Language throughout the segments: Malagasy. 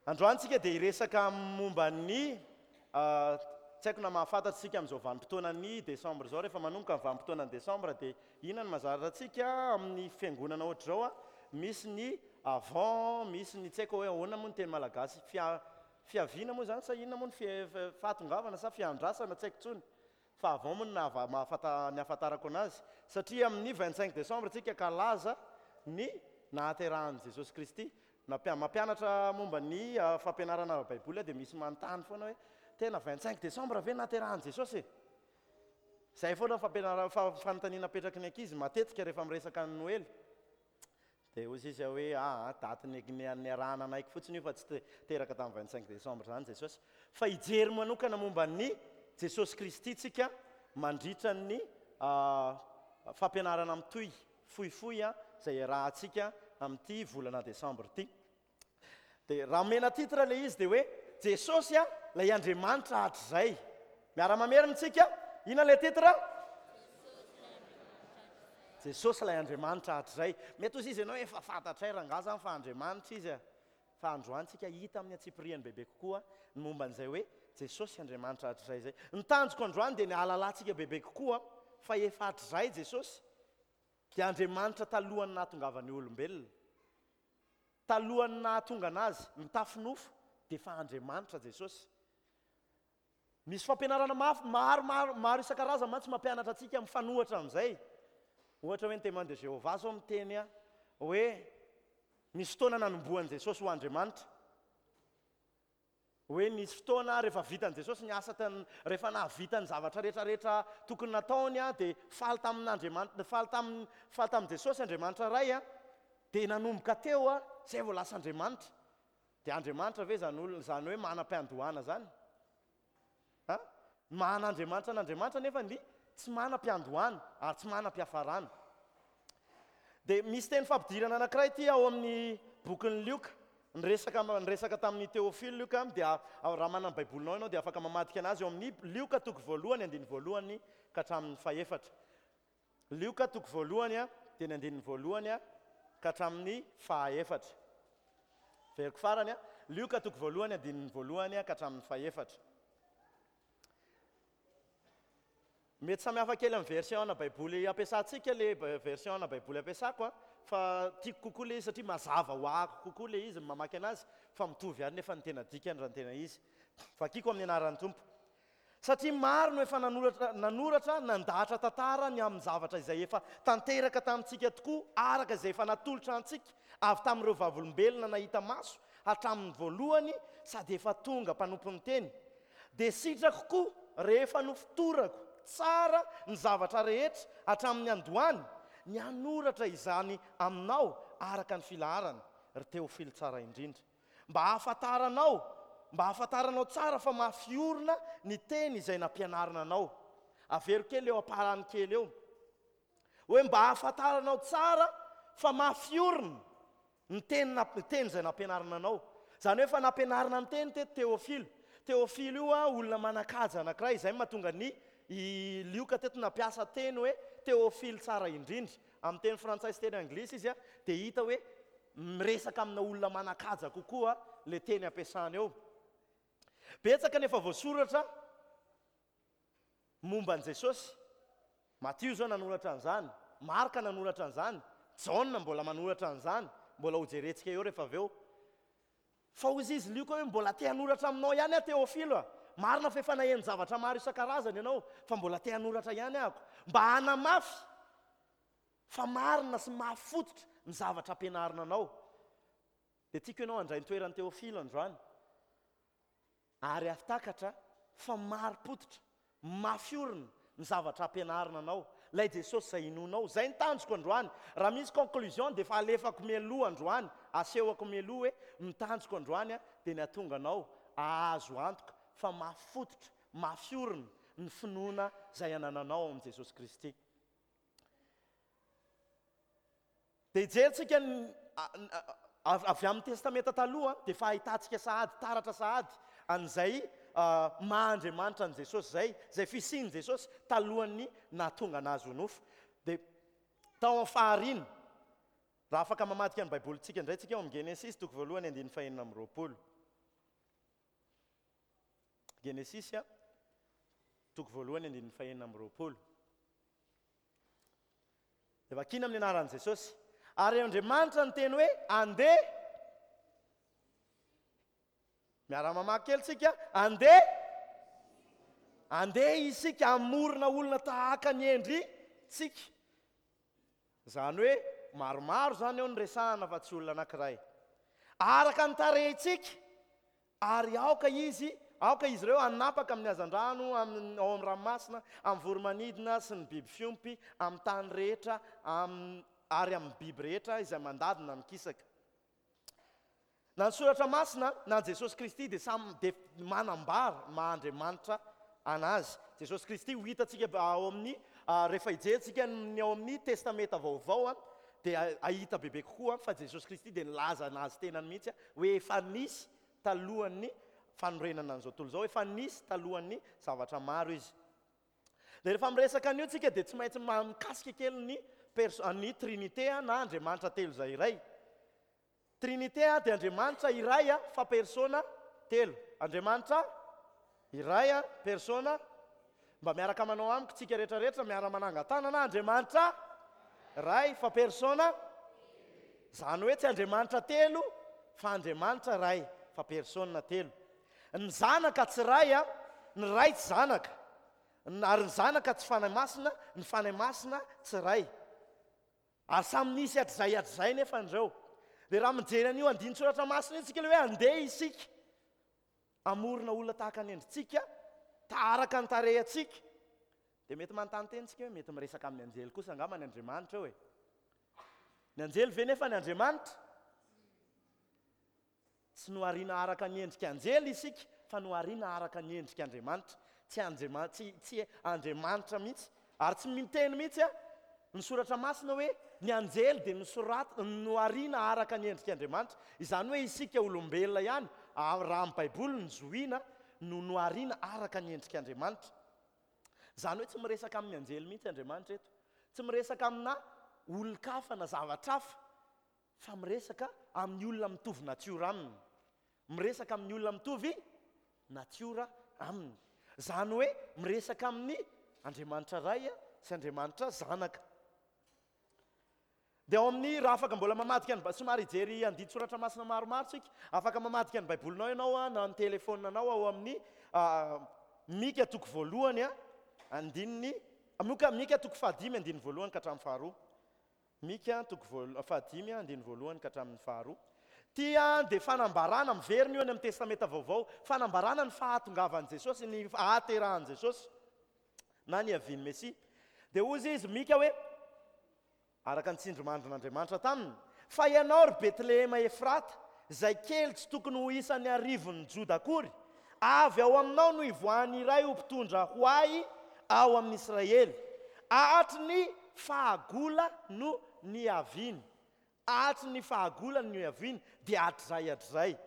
Androany tsika dia hiresaka momba ny tsy haiko na mahafantatra isika amin'izao vanim-potoanan'ny décembre izao, rehefa manomboka ny vanim-potoanan'ny décembre dia inona no mahazatra antsika amin'ny fiangonana ohatr'izao, misy ny avant, misy ny tsy haiko hoe ahoana moa ny teny malagasy, fia- fiaviana moa izany sa inona moa ny fie- fahatongavana sa fiandrasana tsy haiko intsony fa avant moa no nahava- mahafanta- ny ahafantarako anazy satria amin'ny 25 décembre tsika hankalaza ny nahaterahan'i Jesosy Kristy. Nampia- mampianatra momba ny fampianarana ara-baiboly aho dia misy manontany foana hoe tena 25 décembre ve nahaterahan'i Jesosy e? Izay foana ny fampianarana, fa- fanontaniana apetraky ny ankizy matetika rehefa miresaka ny Noely. Dia hoy sisa hoe aa daty niarahana nanaiky fotsiny io fa tsy teraka tamin'ny 25 décembre izany Jesosy. Fa hijery manokana momba ny Jesosy Kristy tsika mandritra ny fampianarana mitohy fohifohy izay iarahantsika amin'ity volana décembre ity. Dia raha omena titre ilay izy dia hoe Jesosy a, ilay Andriamanitra hatrizay. Miara-mamerina isika? Inona ilay titre? Jesosy ilay Andriamanitra hatrizay. Mety hozy izy ianao efa fantatray rangaha zany fa Andriamanitra izy a. Fa androany tsika hita amin'ny antsipiriany bebe kokoa ny momba an'izay hoe Jesosy Andriamanitra hatrizay izay. Ny tanjoko androany dia ny hahalalantsika bebe kokoa fa efa hatrizay Jesosy dia Andriamanitra talohan'ny nahatongavan'ny olombelona. Talohan'ny nahatonga anazy mitafy nofo dia efa Andriamanitra Jesosy. Misy fampianarana mafy maro maro maro isan-karazany mantsy mampianatra antsika mifanohitra amin'izay. Ohatra hoe ny Témoins de Jéhovah zao miteny hoe nisy fotoana nanombohan'i Jesosy ho Andriamanitra. Hoe nisy fotoana rehefa vitan'i Jesosy ny asa tan, rehefa nahavita ny zavatra rehetra rehetra tokony nataony dia faly tamin'Andriamanitra, faly tamin'ny, faly tamin'i Jesosy Andriamanitra Ray dia nanomboka teo izay vao lasa Andriamanitra. Dia Andriamanitra ve izany olona izany hoe manam-piandohana izany? Ha? Ny maha an'Andriamanitra an'Andriamanitra anefa ny tsy manam-piandohana ary tsy manam-piafarana. Dia misy teny fampidirana anankiray ity ao amin'ny bokin'i Lioka. Niresaka niresaka tamin'i Teofilo Lioka dia raha manana ny Baibolinao ianao dia afaka mamadika anazy eo amin'ny Lioka toko voalohany andininy voalohany ka hatramin'ny fahefatra. Lioka toko voalohany dia ny andininy voalohany ka hatramin'ny fahaefatra. Veriko farany, Lioka toko voalohany andininy voalohany ka hatramin'ny fahefatra. Mety samy hafa kely amin'ny version ana baiboly ampiasantsika le version ana baiboly ampiasako a, fa tiako kokoa le izy satria mazava ho ahako kokoa le izy ny mamaky anazy fa mitovy ihany nefa ny tena dikany raha ny tena izy. Vakiko amin'ny anaran'ny Tompo. Satria maro no efa nanoratra, nanoratra, nandahatra tantara ny amin'ny zavatra izay efa tanteraka tamintsika tokoa araka izay efa natolotra antsika avy tamin'ireo vavolombelona nahita maso hatramin'ny voalohany sady efa tonga mpanompon'ny teny. Dia sitrako koa rehefa nofotorako tsara ny zavatra rehetra hatramin'ny andohany, ny hanoratra izany aminao araka ny filaharana, ry Teofilo tsara indrindra. Mba hahafantaranao, mba hahafantaranao tsara fa mafy orina ny teny izay nampianarina anao. Avero kely eo am-parany kely eo. Hoe mba hahafantaranao tsara fa mafy orina ny teny ny teny izay nampianarina anao. Izany hoe efa nampianarina ny teny teto Teofilo. Teofilo io olona manan-kaja anankiray, izay no mahatonga ny i Lioka teto nampiasa teny hoe Teofilo tsara indrindra. Amin'ny teny frantsay sy teny anglisy izy dia hita hoe miresaka amina olona manan-kaja kokoa ilay teny ampiasana eo. Betsaka ny efa voasoratra momba an'i Jesosy. Matio izao nanoratra an'izany, Marka nanoratra an'izany, Jaona mbola manoratra an'izany, mbola hojerentsika eo rehefa avy eo. Fa hoy izy Lioka hoe, Mbola te hanoratra aminao ihany aho Teofilo a! Marina fa efa naheno zavatra maro isan-karazany ianao, fa mbola te hanoratra ihany ahako, mba hanamafy fa marina sy mafy fototra ny zavatra ampianarina anao. Dia tiako ianao handray ny toeran'i Teofilo androany. Ary hahatakatra fa marim-pototra, mafy orina ny zavatra ampianarina anao, ilay Jesosy izay inoanao. Izay ny tanjoko androany. Raha misy conclusion dia efa alefako mialoha androany, asehoko mialoha hoe ny tanjoko androany dia ny hahatonga anao hahazo antoka fa mafy fototra, mafy orina ny finoana izay anananao ao amin'i Jesosy Kristy. Dia hijerintsika ny avy amin'ny Testamenta Taloha dia efa ahitantsika sahady, taratra sahady an'izay maha Andriamanitra an'i Jesosy izay, izay fisian'i Jesosy talohan'ny nahatonga an'azy ho nofo. Dia tao amin'ny fahariana, raha afaka mamadika ny Baibolintsika indray tsika ao amin'ny Genesisy toko voalohany andininy fahenina amby roapolo. Genesisy toko voalohany andininy fahenina amby 20. Dia vakina amin'ny anaran'i Jesosy. Ary Andriamanitra niteny hoe, Andeha. Miara-mamaky kely tsika. Andeha. Andeha isika hamorona olona tahaka ny endritsika. Izany hoe maromaro izany eo no resahana fa tsy olona anankiray. Araka ny tarehintsika. Ary aoka izy, aoka izy ireo hanapaka amin'ny hazandrano, amin'ny, ao amin'ny ranomasina, amin'ny voro-manidina sy ny biby fiompy, amin'ny tany rehetra, amin'ny, ary amin'ny biby rehetra izay mandady na mikisaka. Na ny Soratra Masina na Jesosy Kristy dia samy dia manambara ny maha Andriamanitra an'Azy. Jesosy Kristy ho hitantsika ao amin'ny, rehefa hijery-tsika ny ao amin'ny Testamenta Vaovao dia hahita bebe kokoa fa Jesosy Kristy dia nilaza an'Azy tenany mihitsy hoe efa nisy talohan'ny fanorenana an'izao tontolo izao, efa nisy talohan'ny zavatra maro Izy. Dia rehefa miresaka an'io tsika dia tsy maintsy mikasika kely ny perso-, ny Trinite na Andriamanitra telo izay iray. Trinite dia Andriamanitra iray fa persona telo. Andriamanitra iray, persona, mba miaraka manao amiko tsika rehetra rehetra miara manangan-tanana, Andriamanitra Ray fa persona, izany hoe tsy Andriamanitra telo fa Andriamanitra Ray fa persona telo. Ny Zanaka tsy Ray, ny Ray tsy Zanaka, ary ny Zanaka tsy Fanahy Masina, ny Fanahy Masina tsy Ray. Ary samy nisy hatrizay hatrizay nefa ireo. Dia raha mijery an'io andinin-tsoratra masina io tsika ilay hoe andeha isika hamorona olona tahaka ny endritsika, taharaka ny tarehintsika, dia mety manontany tena isika hoe mety miresaka amin'ny anjely kosa angamba ny Andriamanitra eo e. Ny anjely ve nefa ny Andriamanitra? Tsy nohariana araka ny endrika anjely isika fa nohariana araka ny endrik'Andriamanitra. Tsy Andriama, tsy, tsy Andriamanitra mihitsy. Ary tsy miteny mihitsy ny Soratra Masina hoe ny anjely dia nosorat, nohariana araka ny endrik'Andriamanitra. Izany hoe isika olombelona ihany, raha amin'ny Baiboly ny zohiana, no nohariana araka ny endrik'Andriamanitra. Izany hoe tsy miresaka amin'ny anjely mihitsy Andriamanitra eto. Tsy miresaka amina olon-kafa na zavatra hafa. Fa miresaka amin'ny olona mitovy natiora aminy. Miresaka amin'ny olona mitovy natiora aminy. Izany hoe miresaka amin'ny Andriamanitra Ray sy Andriamanitra Zanaka. Dia ao amin'ny, raha afaka mbola mamadika ny, somary hijery andinin-tsoratra masina maromaro tsika, afaka mamadika ny Baibolinao ianao na ny telefaoninanao ao amin'ny Mika toko voalohany andininy, Mika toko fahadimy andininy voalohany ka hatramin'ny faharoa. Mika, toko voal, fahadimy, andininy voalohany ka hatramin'ny faharoa. Ity dia fanambarana, miverina io any amin'ny Testamenta Vaovao, fanambarana ny fahatongavan'i Jesosy, ny hahaterahan'i Jesosy, na ny havian'ny Mesia. Dia hozy izy, Mika hoe, araka ny tsindrimandrin'Andriamanitra taminy, Fa ianao, ry Betlehema Efrata, izay kely tsy tokony ho isan'ny arivon'ny Joda akory, Avy ao aminao no hivoahan'ny iray ho mpitondra ho ahy ao amin'i Israely. Hatry ny fahagola no niaviany. Hatry ny fahagola no niaviany, dia hatrizay hatrizay.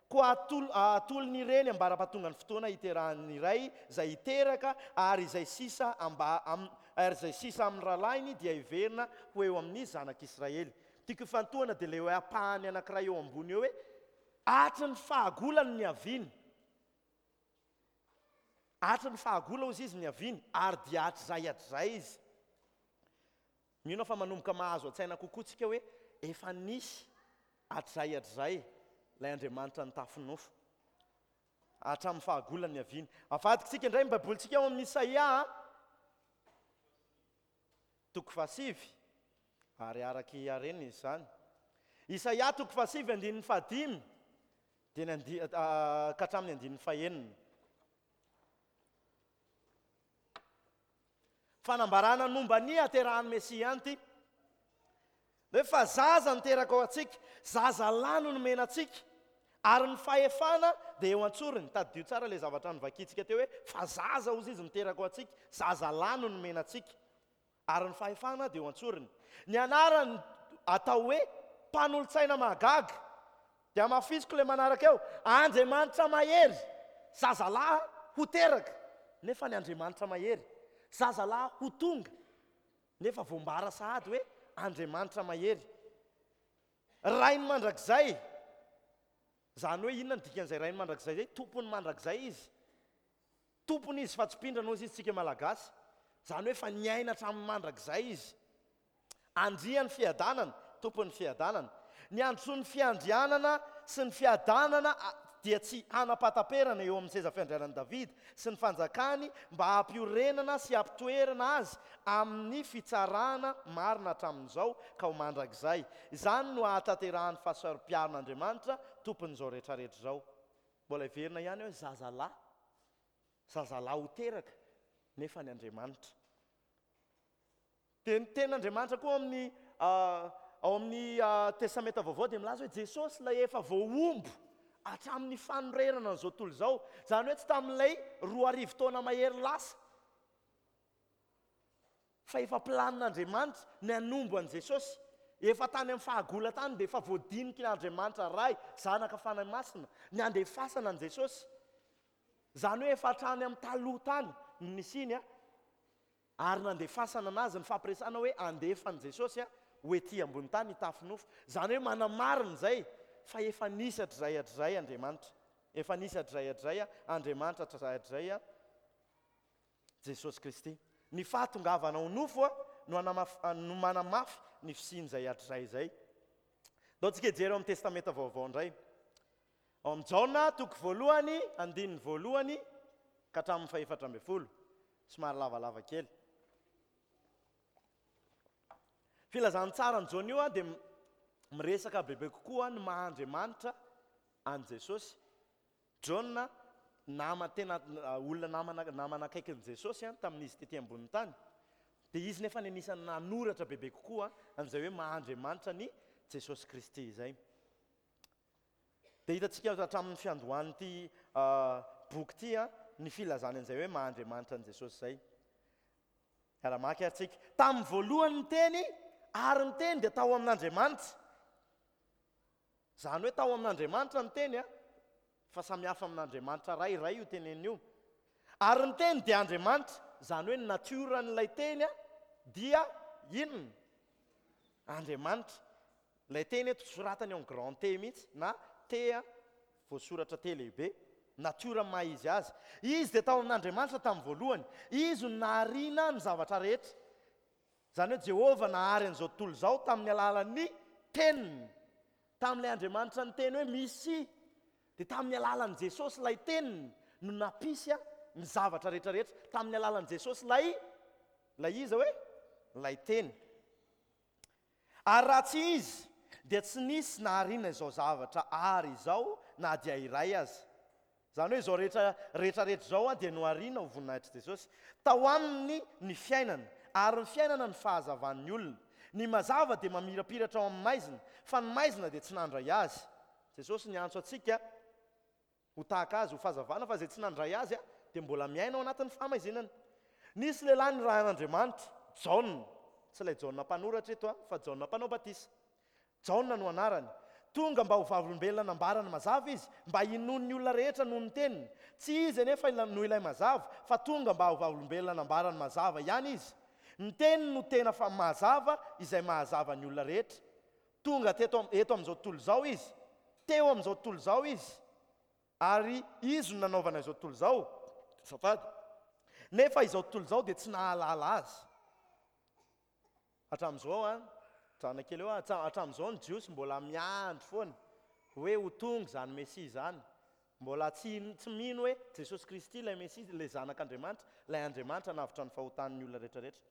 Koa atolony ireny ambara-pahatongan'ny fotoana hiterahan'ny iray izay hiteraka, ary izay sisa amba, ary izay sisa amin'ny rahalahiny dia heverina ho eo amin'ny zanak'Israely. Tiako hifantohana dia ilay hoe ampahany anankiray eo ambony eo hoe, Hatry ny fahagola no niaviany. Hatry ny fahagola hozy izy niaviany, ary dia hatrizay hatrizay izy. Mino aho fa manomboka mahazo an-tsaina kokoa tsika hoe efa nisy hatrizay hatrizay ilay Andriamanitra nitafy nofo. Hatramin'ny fahagola niaviany. Avadikitsika indray ny Baibolintsika ao amin'ny Isaia. Toko fahasivy, ary araka i Arena izany. Isaia toko fahasivy andininy fahadimy dia ny andi- ka hatramin'ny andininy fahenina. Fanambarana ny momba ny haterahan'ny Mesia ihany ity. Hoe fa zaza niteraka ho antsika, zaza lahy no nomena antsika, ary ny fahefana dia eo an-tsorony. Tadidio tsara ilay zavatra novakintsika teo hoe fa zaza hozy izy niteraka ho antsika, zaza lahy no nomena antsika, ary ny fahefana dia eo an-tsorony. Ny anarany atao hoe Mpanolotsaina mahagaga. Dia hamafisiko ilay manaraka eo, Andriamanitra mahery, zaza lahy ho teraka, nefa ny Andriamanitra mahery, zaza lahy ho tonga. Nefa voambara sahady hoe Andriamanitra mahery, Rainy mandrakizay. Izany hoe inona no dikan'izay Rainy mandrakizay izay? Tompon'ny mandrakizay Izy. Tompony izy fa tsy mpindrana hozy izy tsika Malagasy. Izany hoe efa niaina hatramin'ny mandrakizay izy. Andrian'ny fiadanana, Tompon'ny fiadanana. Ny androsoan'ny fiandrianana sy ny fiadanana dia tsy hanam-pahataperana eo amin'ny seza fiandrianan'i Davida sy ny fanjakany mba hampiorenana sy hampitoerana azy amin'ny fitsarana marina hatramin'izao ka ho mandrakizay. Izany no hahatanterahan'ny fahasaropiaron'Andriamanitra Tompon'izao rehetrarehetra izao. Mbola heverina ihany hoe zazalahy, zazalahy ho teraka nefa ny Andriamanitra. Dia ny tenin'Andriamanitra koa amin'ny ao amin'ny Testamenta Vaovao dia milaza hoe Jesosy ilay efa voahombo hatramin'ny fanorenana an'izao tontolo izao, izany hoe tsy tamin'ilay 2000 taona mahery lasa, fa efa planin'Andriamanitra ny hanombo an'i Jesosy. Efa tany amin'ny fahagola tany dia efa voadinikin'Andriamanitra Ray, Zanaka, Fanahy Masina ny handefasana an'i Jesosy. Izany hoe efa hatrany amin'ny taloha tany no nisiany Ary nandefasana anazy ny fampiresahana hoe andefa an'i Jesosy ho ety ambony tany hitafy nofo. Izany hoe manamarina izay fa efa nisy hatrizay hatrizay Andriamanitra. Efa nisy hatrizay hatrizay Andriamanitra hatrizay hatrizay Jesosy Kristy. Ny fahatongavana ho nofo no no manamafy ny fisian'izay hatrizay izay. Ndao tsika hijery ao amin'ny Testamenta Vaovao indray. Ao amin'ny Jaona toko voalohany andininy voalohany ka hatramin'ny fahefatra ambin'ny folo. Somary lavalava kely. Filazantsaran'i Jaona io dia miresaka bebe kokoa ny maha Andriamanitra an'i Jesosy. Jaona nama tena olona namana namana akaikin'i Jesosy tamin'izy tety ambonin'ny tany. Dia izy nefa ny anisan'ny nanoratra bebe kokoa an'izay hoe maha Andriamanitra an'i Jesosy Kristy izay. Dia hitantsika hatramin'ny fiandohan'ity boky ity ny filazany an'izay hoe maha Andriamanitra an'i Jesosy izay. Hiara-maka ary tsika. Tamin'ny voalohany ny Teny, ary ny Teny dia tao amin'Andriamanitra. Izany hoe tao amin'Andriamanitra ny Teny, fa samy hafa amin'Andriamanitra Ray, Ray io teneniny io. Ary ny Teny dia Andriamanitra, izany hoe ny natioran'ilay Teny dia inona? Andriamanitra. Ilay teny eto soratany eo amin'ny grand T mihitsy na T voasoratra T lehibe. Natiora maha izy azy. Izy dia tao amin'Andriamanitra tamin'ny voalohany. Izy no nahariana ny zavatra rehetra. Izany hoe Jehovah nahary an'izao tontolo izao tamin'ny alalan'ny teniny. Tamin'ilay Andriamanitra niteny hoe Misia. Dia tamin'ny alalan'i Jesosy ilay teniny no nampisy ny zavatra rehetra rehetra. Tamin'ny alalan'i Jesosy ilay ilay iza hoe? Ilay teny. Ary raha tsy Izy, dia tsy nisy nahariana izao zavatra àry izao na dia iray aza. Izany hoe izao rehetra rehetra rehetra izao dia nohariana ho voninahitr'i Jesosy. Tao Aminy ny fiainana, ary ny fiainana no fahazavan'ny olona. Ny mazava dia mamirapiratra ao amin'ny maizina, fa ny maizina dia tsy nandray azy. Jesosy niantso antsika. Ho tahaka azy, ho fahazavana, fa izay tsy nandray azy dia mbola miaina ao anatin'ny fahamaizinana. Nisy lehilahy nirahin'Andriamanitra, Jaona, tsy ilay Jaona mpanoratra eto fa Jaona mpanao batisa. Jaona no anarany. Tonga mba ho vavolombelona nambarany mazava izy, mba hinoan'ny olona rehetra noho ny teniny. Tsy izy anefa no ilay mazava, fa tonga mba ho vavolombelona nambarany mazava ihany izy. Ny teniny no tena fa mazava izay mahazava ny olona rehetra. Tonga teto eto amin'izao tontolo izao Izy. Teo amin'izao tontolo izao Izy. Ary Izy no nanaovana izao tontolo izao. Azafady. Nefa izao tontolo izao dia tsy nahalala Azy. Hatramin'izao an, mijanona kely eo aho, hatramin'izao ny Jiosy mbola miandry foana hoe ho tonga izany Mesia izany. Mbola tsy tsy mino hoe Jesosy Kristy ilay Mesia, ilay Zanak'Andriamanitra, ilay Andriamanitra hanavotra ny fahotan'ny olona rehetra rehetra.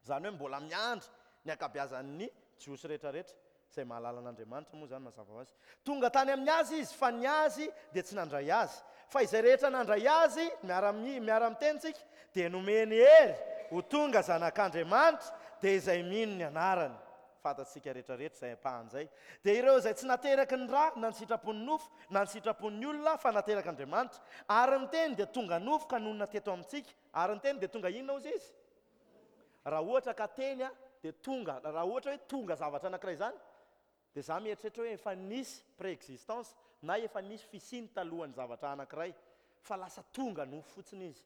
Izany hoe mbola miandry ny ankabeazan'ny Jiosy rehetrarehetra, izay mahalala an'Andriamanitra moa izany mazava ho azy. Tonga tany amin'ny azy izy, fa ny azy dia tsy nandray azy. Fa izay rehetra nandray azy, miara-miteny tsika, dia nomeny hery ho tonga zanak'Andriamanitra, dia izay mino ny anarany. Fantatsika rehetrarehetra izay ampahany izay. Dia ireo izay tsy nateraky ny ra, na ny sitrapon'ny nofo, na ny sitrapon'ny olona, fa naterak'Andriamanitra. Ary ny Teny dia tonga nofo ka nonina teto amintsika. Ary ny Teny dia tonga inona hozy izy? Raha ohatra ka teny dia tonga, raha ohatra hoe tonga zavatra anankiray izany, dia za mieritreritra hoe efa nisy préexistence na efa nisy fisiany talohan'ny zavatra anankiray, fa lasa tonga nofo fotsiny izy.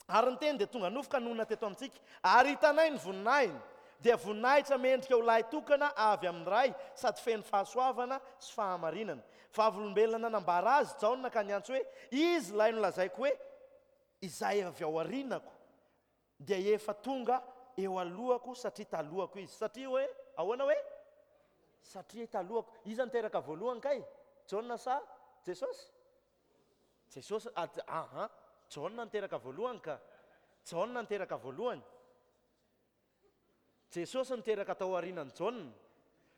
Ary ny Teny dia tonga nofo ka nonina teto amintsika, ary hitanay ny voninahiny. Dia voninahitra mendrika ho lahy tokana avy amin'ny Ray, sady feno fahasoavana sy fahamarinana. Vavolombelona nanambara azy Jaona ka niantso hoe, Izy ilay nolazaiko hoe, Izay avy ao aorianako dia efa tonga eo alohako satria talohako izy. Satria hoe ahoana hoe? Satria talohako. Iza no teraka voalohany kay? Jaona sa Jesosy? Jesosy, aha, Jaona no teraka voalohany ka. Jaona no teraka voalohany. Jesosy niteraka tao aorianan'i Jaona.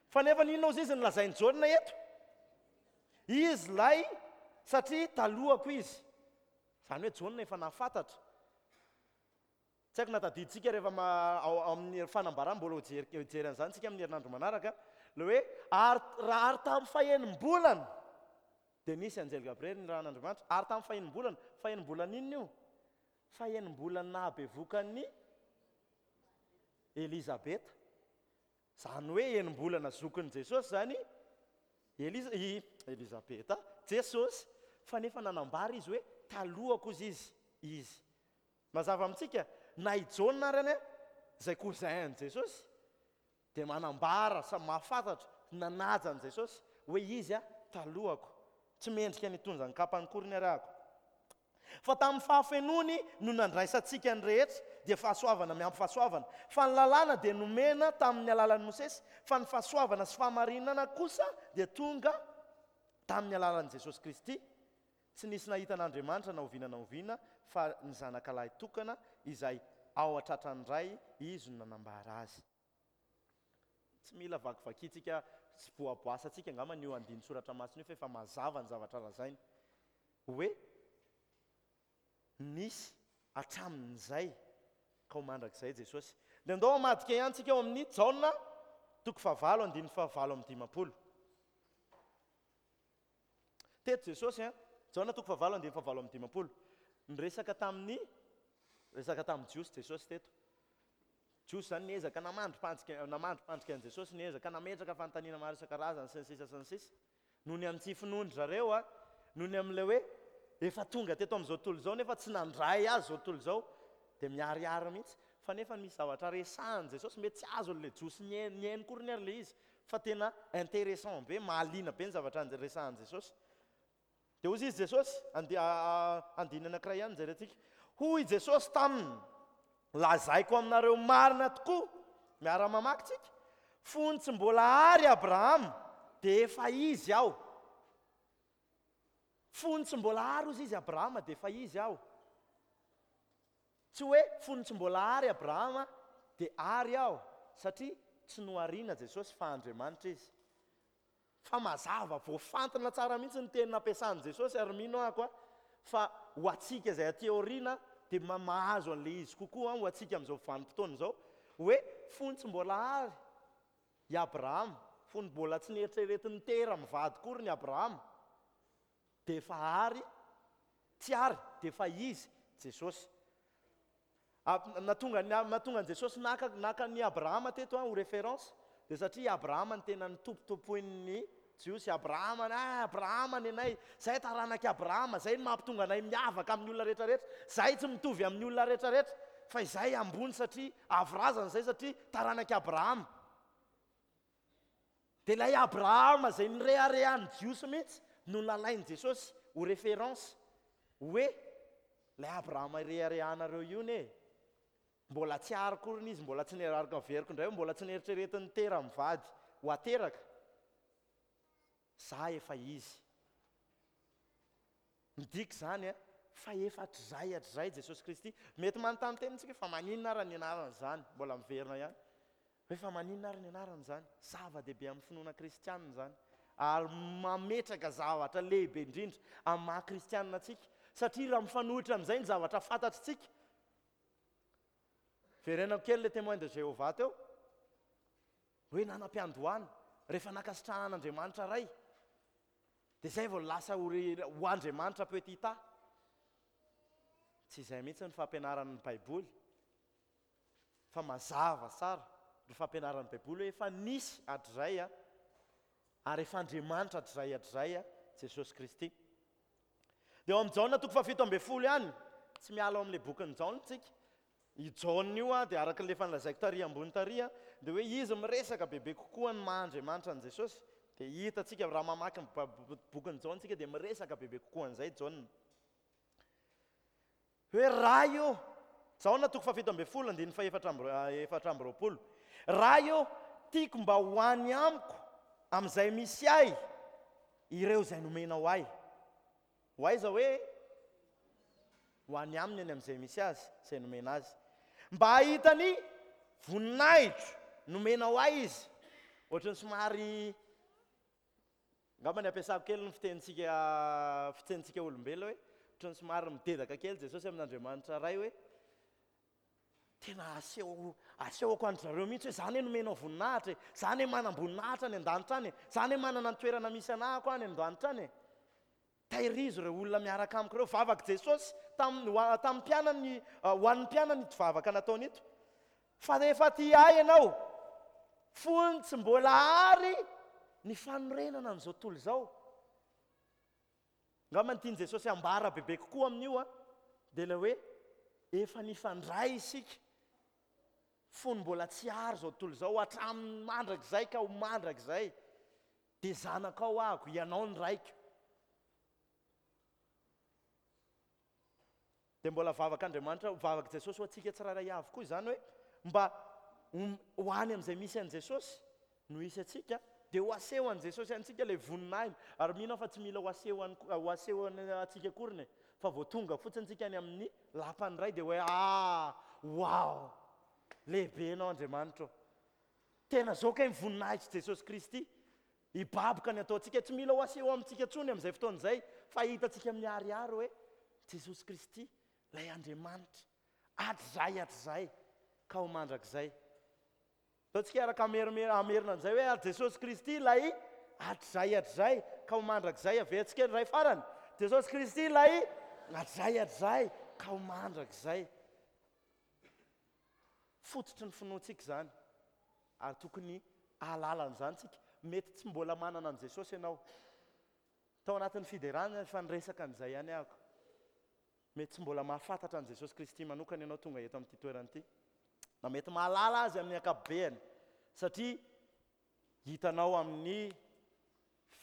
Fa nefa inona ozy izy nolazain'i Jaona eto? Izy ilay satria talohako izy. Izany hoe Jaona efa nahafantatra. Tsy haiko na tadidintsika rehefa ao amin'ny fanambarana, mbola hijery an'izany tsika amin'ny herinandro manaraka, ilay hoe ary raha ary tamin'ny fahenim-bolana dia nisy anjely Gabriely nirahan'Andriamanitra, ary tamin'ny fahenim-bolana, fahenim-bolana inona io? Fahenim-bolana nahabevokan'i Elizabeta. Izany hoe enim-bolana zokin'i Jesosy izany Eliza, i Elizabeta, Jesosy. Fa nefa nanambara izy hoe talohako ozy izy, izy. Mazava amintsika, na i Jaona ary anie, izay cousin an'i Jesosy, dia manambara sa mahafantatra, nanaja an'i Jesosy, hoe izy a, talohako. Tsy mendrika ny hitondra ny kapany akory ny arahako. Fa tamin'ny fahafenoany no nandraisantsika ny rehetra, dia fahasoavana miampy fahasoavana. Fa ny lalàna dia nomena tamin'ny alalan'i Mosesy, fa ny fahasoavana sy fahamarinana kosa dia tonga tamin'ny alalan'i Jesosy Kristy. Tsy nisy nahita an'Andriamanitra na oviana na oviana, fa ny Zanakalahy tokana izay ao an-tratran'ny Ray, Izy no nanambara azy. Tsy mila vakivakintsika sy voaboasantsika angamba io andinin-tsoratra masina io fa efa mazava ny zavatra lazainy. Hoe nisy hatramin'izay ka ho mandrakizay Jesosy. Dia andao hamadika ihany tsika ao amin'ny Jaona toko fahavalo andininy fahavalo amby dimampolo. Teto Jesosy an, Jaona toko fahavalo andininy fahavalo amby dimampolo. Niresaka tamin'ny resaka tamin'ny Jiosy Jesosy teto. Jiosy izany niezaka namandri-pandrika namandri-pandrika an'i Jesosy, niezaka nametraka fanontaniana maro isan-karazany sy ny sisa sy ny sisa. Noho ny amin'ny tsy finoan-dry zareo a, noho ny amin'ilay hoe efa tonga teto amin'izao tontolo izao nefa tsy nandray azy izao tontolo izao, dia miharihary mihitsy. Fa nefa misy zavatra resahan'i Jesosy, mety tsy azon'ilay Jiosy nihaino nihaino akoriny ary ilay izy, fa tena intéressant be, mahaliana be ny zavatra resahan'i Jesosy. Dia hoy izy Jesosy, andeha andininy anankiray ihany jerentsika. Hoy Jesosy taminy, Lazaiko aminareo marina tokoa, miara-mamaky tsika, fony tsy mbola ary Abrahama, dia efa izy aho. Fony tsy mbola ary hozy izy Abrahama, dia efa izy aho. Tsy hoe fony tsy mbola ary Abrahama, dia ary aho, satria tsy nohariana Jesosy fa Andriamanitra izy. Fa mazava, voafantina tsara mihitsy ny teny nampiasan'i Jesosy ary mino aho koa fa ho antsika izay aty aoriana dia mahazo an'ilay izy kokoa ho antsika amin'izao vanim-potoana izao hoe fony tsy mbola ary i Abrahama, fony mbola tsy neritreretin'i Tera mivady akory ny Abrahama dia efa ary, tsy ary dia efa izy Jesosy. Nahatonga nahatonga an'i Jesosy naka naka an'i Abrahama teto ho référence dia satria i Abrahama no tena nitompotompoin'ny Jiosy. Abrahama, ah Abrahama ny anay, zay taranak'i Abrahama, zay no mampitonga anay miavaka amin'ny olona rehetra rehetra, zay tsy mitovy amin'ny olona rehetra rehetra fa izay ambony satria avo razana izay satria taranak'i Abrahama. Dia ilay Abrahama izay nireharehan'ny Jiosy mihitsy no nalain'i Jesosy ho référence hoe ilay Abrahama ireharehanareo io anie e! Mbola tsy ary akoriny izy, mbola tsy niaraka averiko indray hoe mbola tsy neritreretin'i Tera mivady ho ateraka, za efa izy. Midika izany fa efa hatrizay hatrizay Jesosy Kristy. Mety manontany tena isika hoe fa maninona ary ny anarana izany? Mbola miverina ihany. Hoe fa maninona ary ny anarana izany? Zava-dehibe amin'ny finoana kristianina izany. Ary mametraka zavatra lehibe indrindra amin'ny maha kristianina antsika. Satria raha mifanohitra amin'izay ny zavatra fantatritsika. Verenako kely ilay témoin de Jéhovah teo. Hoe nanam-piandohana rehefa nankasitrahan'Andriamanitra Ray. Dia izay vao lasa ho ho Andriamanitra petit a. Tsy izay mihitsy ny fampianaran'ny Baiboly. Fa mazava tsara ny fampianaran'ny Baiboly hoe efa nisy hatrizay ary efa Andriamanitra hatrizay hatrizay Jesosy Kristy. Dia ao amin'ny Jaona toko fahafito ambin'ny folo ihany, tsy miala ao amin'ilay bokin'i Jaona isika. I Jaona io dia araka ilay efa nolazaiko tary ambony tary dia hoe izy miresaka bebe kokoa ny maha Andriamanitra an'i Jesosy. Dia hitantsika raha mamaky ny bokin'i Jaona isika dia miresaka bebe kokoa an'izay Jaona. Hoe Ray ô, Jaona toko faha-17 andininy faha-24, Ray ô, tiako mba ho any amiko amin'izay misy ahy ireo izay nomenao ahy. Ho aiza hoe? Ho any aminy any amin'izay misy azy, izay nomena azy. Mba hahita ny voninahitro nomenao ahy izy. Ohatran'ny somary angamba ny ampiasako kely ny fitenintsika fitenintsika olombelona hoe ohatran'ny somary midedaka kely Jesosy amin'Andriamanitra Ray hoe Tena aseho asehoko an-dry zareo mihitsy hoe za anie nomenao voninahitra e, za anie manam-boninahitra any an-danitra any e, za anie manana ny toerana misy anahako any an-danitra any e. Tairizo ireo olona miaraka amiko ireo. Vavak'i Jesosy tamin'ny ho a- tamin'ny mpianany ho an'ny mpianany ito vavaka nataony ito. Fa rehefa tia ahy ianao, fony tsy mbola ary ny fanorenana an'izao tontolo izao. Angamba ny tian'i Jesosy hambara bebe kokoa amin'io dia ilay hoe efa nifandray isika fony mbola tsy ary izao tontolo izao, hatramin'ny mandrakizay ka ho mandrakizay. Dia zanakao aho, ianao ny raiko. Dia mbola vavak'Andriamanitra, vavak'i Jesosy ho antsika tsirairay avy koa izany hoe mba ho any amin'izay misy an'i Jesosy no hisy antsika, dia ho aseho an'i Jesosy antsika ilay voninahiny. Ary mino aho fa tsy mila ho aseho any, ho aseho antsika akoriny e, fa vao tonga fotsiny tsika any amin'ny lapan'ny Ray dia hoe ah, wow, lehibe ianao Andriamanitra ô. Tena zao kay ny voninahitr'i Jesosy Kristy. Hibaboka ny ataontsika, tsy mila ho aseho amintsika intsony amin'izay fotoana izay fa hitantsika miharihary hoe Jesosy Kristy ilay Andriamanitra hatrizay hatrizay ka ho mandrakizay. Ataontsika hiaraka hamerina an'izay hoe ary Jesosy Kristy ilay hatrizay hatrizay ka ho mandrakizay. Averintsika indray farany. Jesosy Kristy ilay hatrizay hatrizay ka ho mandrakizay. Fototry ny finoantsika izany ary tokony hahalala an'izany isika. Mety tsy mbola manana an'i Jesosy ianao. Tao anatin'ny fiderana efa niresaka an'izay ihany aho. Mety tsy mbola mahafantatra an'i Jesosy Kristy manokana ianao tonga eto amin'ity toerana ity. Na mety mahalala Azy amin'ny ankapobeny satria hitanao amin'ny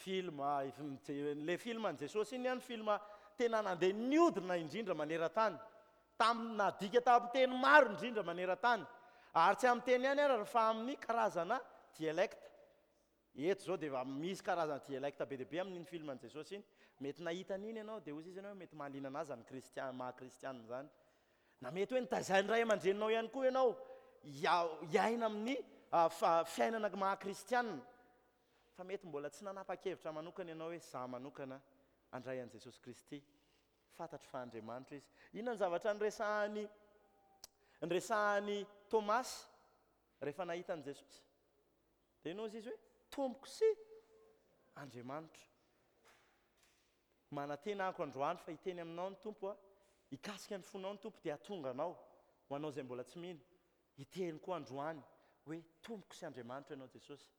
Film, ilay film an'i Jesosy iny ihany film tena nandeha niodina indrindra maneran-tany, tamin'ny nadika tamin'ny teny maro indrindra maneran-tany, ary tsy amin'ny teny ihany ary fa amin'ny karazana dialecte. Eto izao dia efa misy karazana dialecte be dia be amin'iny film an'i Jesosy iny. Mety nahita an'iny ianao dia hoy izy ianao hoe mety mahaliana an'ahy izany kristiana, maha kristiana izany. Na mety hoe nitaizain'ny ray aman-dreninao ihany koa ianao hiaina amin'ny fiainana maha kristiana. Fa mety mbola tsy nanapa-kevitra manokana ianao hoe izaho manokana handray an'i Jesosy Kristy. Fantatro fa Andriamanitra Izy. Inona ny zavatra niresahan'i niresahan'i Tomasy rehefa nahita an'i Jesosy? Dia inona hozy izy hoe Tompoko sy Andriamanitro. Manantena aho androany fa hiteny aminao ny Tompo a, hikasika ny fonao ny Tompo dia hahatonga anao ho anao izay mbola tsy mino. Hiteny koa androany hoe Tompoko sy Andriamanitro ianao Jesosy.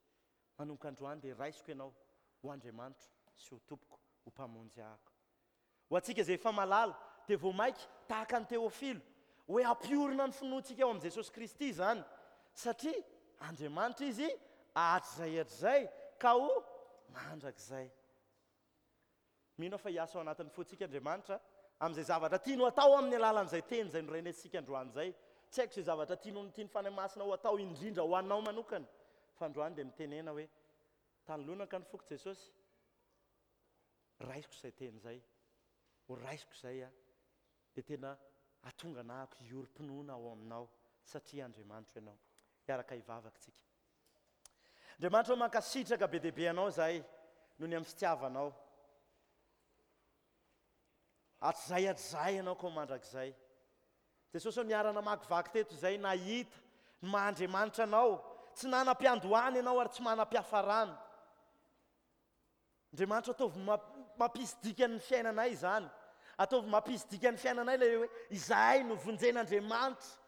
Manomboka androany dia raisiko ianao ho Andriamanitro sy ho Tompoko, ho Mpamonjy ahako. Ho antsika izay efa malala, dia vao mainka tahaka an'i Teofilo, hoe hampiorina ny finoantsika ao amin'i Jesosy Kristy izany, satria Andriamanitra Izy hatrizay hatrizay ka ho mandrakizay. Mino aho fa hiasa ao anatin'ny fontsika Andriamanitra amin'izay zavatra tiany ho atao amin'ny alalan'izay teny izay norenesintsika androany izay. Tsy haiko izay zavatra tiany ho tian'ny Fanahy Masina ho atao indrindra ho anao manokana, fa androany dia mitenena hoe, Tany lonaka ny foko Jesosy, raisiko izay teny izay, ho raisiko izay aho, dia tena hahatonga anahako hiorim-pinoana ao aminao, satria Andriamanitro Ianao. Hiaraka hivavaka isika. Andriamanitra ô mankasitraka be dia be Anao izahay noho ny amin'ny fitiavanao. Hatrizay hatrizay Ianao koa mandrakizay. Jesosy ô niara-namakivaky teto izay nahita ny maha Andriamanitra Anao. Tsy nanam-piandohana Ianao ary tsy manam-piafarana. Andriamanitra ataovy mampisy dikany ny fiainanay izany. Ataovy mampisy dikany ny fiainanay ilay hoe izahay no vonjen'Andriamanitra.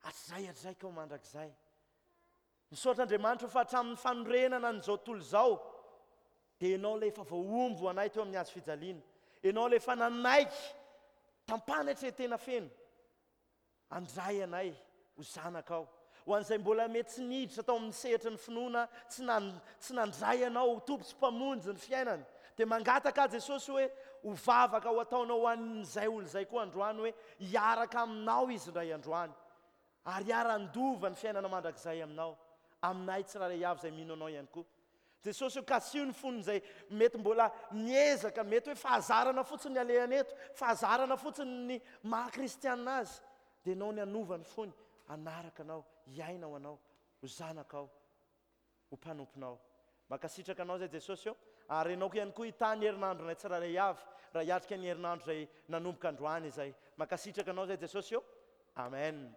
Hatrizay hatrizay ka ho mandrakizay. Misaotra Andriamanitra fa hatramin'ny fanorenana an'izao tontolo izao dia Ianao ilay efa voahombo ho anay teo amin'ny hazo fijaliana. Ianao ilay efa nanaiky tam-panetren-tena feno. Handray anay ho zanakao. Ho an'izay mbola mety tsy niditra tao amin'ny sehatry ny finoana, tsy nan, tsy nandray anao ho Tompo sy Mpamonjy ny fiainany, dia mangataka aho Jesosy hoe ho vavaka ho ataonao ho an'izay olona izay koa androany hoe hiaraka aminao izy indray androany ary hiara-handova ny fiainana mandrakizay aminao, aminay tsirairay avy izay mino anao ihany koa. Jesosy o, kasiho ny fon'izay mety mbola miezaka, mety hoe fahazarana fotsiny ny alehany eto, fahazarana fotsiny ny maha kristianina azy, dia ianao ny hanova ny fony, hanaraka anao, hiaina ho anao, ho zanakao, ho mpanomponao. Mankasitraka anao izay Jesosy o, ary ianao ihany koa hitahy ny herinandronay tsirairay avy, raha hiatrika ny herinandro izay nanomboka androany izay. Mankasitraka anao izay Jesosy o. Amen.